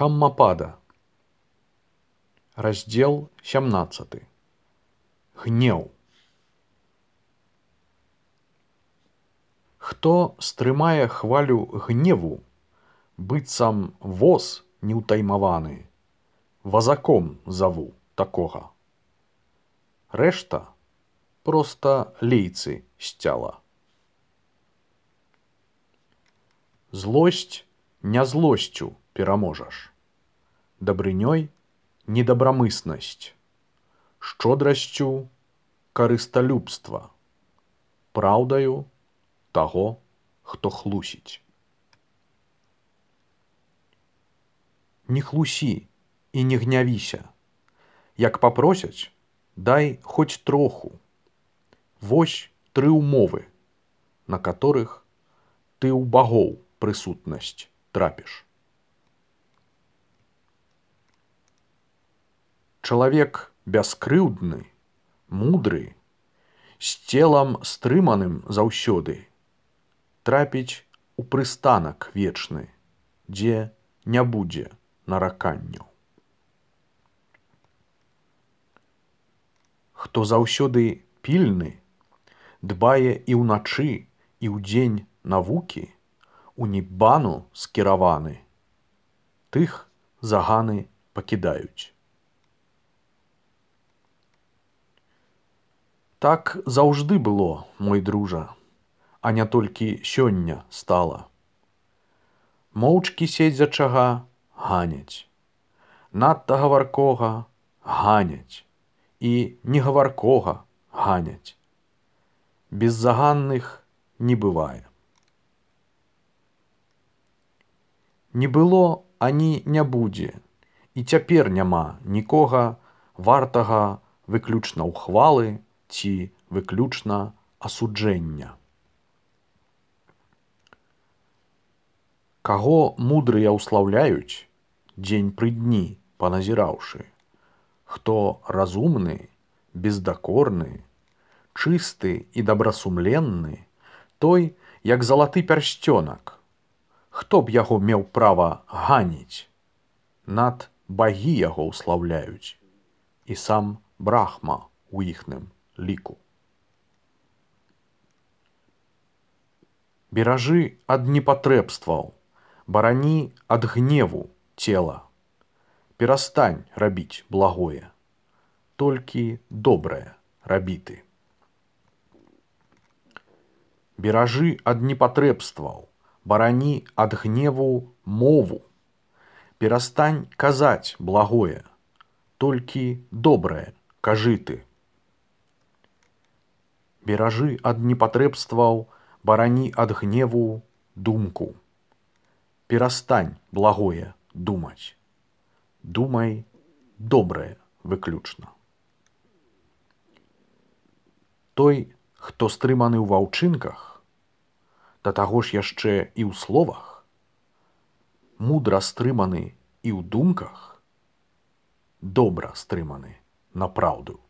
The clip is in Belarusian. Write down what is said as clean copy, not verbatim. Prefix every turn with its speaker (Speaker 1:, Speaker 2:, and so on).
Speaker 1: Дхаммапада. Раздзел 17. Гнеў. Хто стрымае хвалю гневу, быццам воз неўтаймаваны, вазаком заву такога. Рэшта проста лейцы сцяла. Злосць не злосцю пераможаш, дабрынёй недабрамыснасць, шчодрасцю карысталюбства, праўдаю таго, хто хлусіць. Не хлусі і не гнявіся, як папросяць, дай хоць троху. Вось 3 умовы, на которых ты ў багоў прысутнасць трапіш. Чалавек бяскрыўдны, мудры, з целам стрыманым заўсёды, трапіць у прыстанак вечны, дзе не будзе нараканняў. Хто заўсёды пільны, дбае і ўначы, і ўдзень навукі, у ніббану скіраваны, тых заганы пакідаюць. Так заўжды было, мой дружа, а не толькі сёння стала. Моўчкі седзячага ганяць, надта гаваркога ганяць і негаваркога ганяць. Беззаганных не бывае. Не было ані не будзе, і цяпер няма нікога вартага выключна ўхвалы ці выключна асуджэння. Каго мудрыя ўслаўляюць, дзень пры дні паназіраўшы, хто разумны, бездакорны, чысты і дабрасумленны, той, як залаты пярсцёнак. Хто б яго меў права ганіць? Над багі яго ўслаўляюць, і сам Брахма у іхным ліку. Беражы ад непатрэбстваў, барані ад гневу цела. Перастань рабіць благое, толькі добрае рабі ты. Беражы ад непатрэбстваў, барані ад гневу мову. Перастань казаць благое, толькі добрае кажы ты. Беражы ад непатрэбстваў, барані ад гневу думку. Перастань благое думаць, думай добрае выключна. Той, хто стрыманы ў ваўчынках, да таго ж яшчэ і ў словах, мудра стрыманы і ў думках, добра стрыманы на праўду.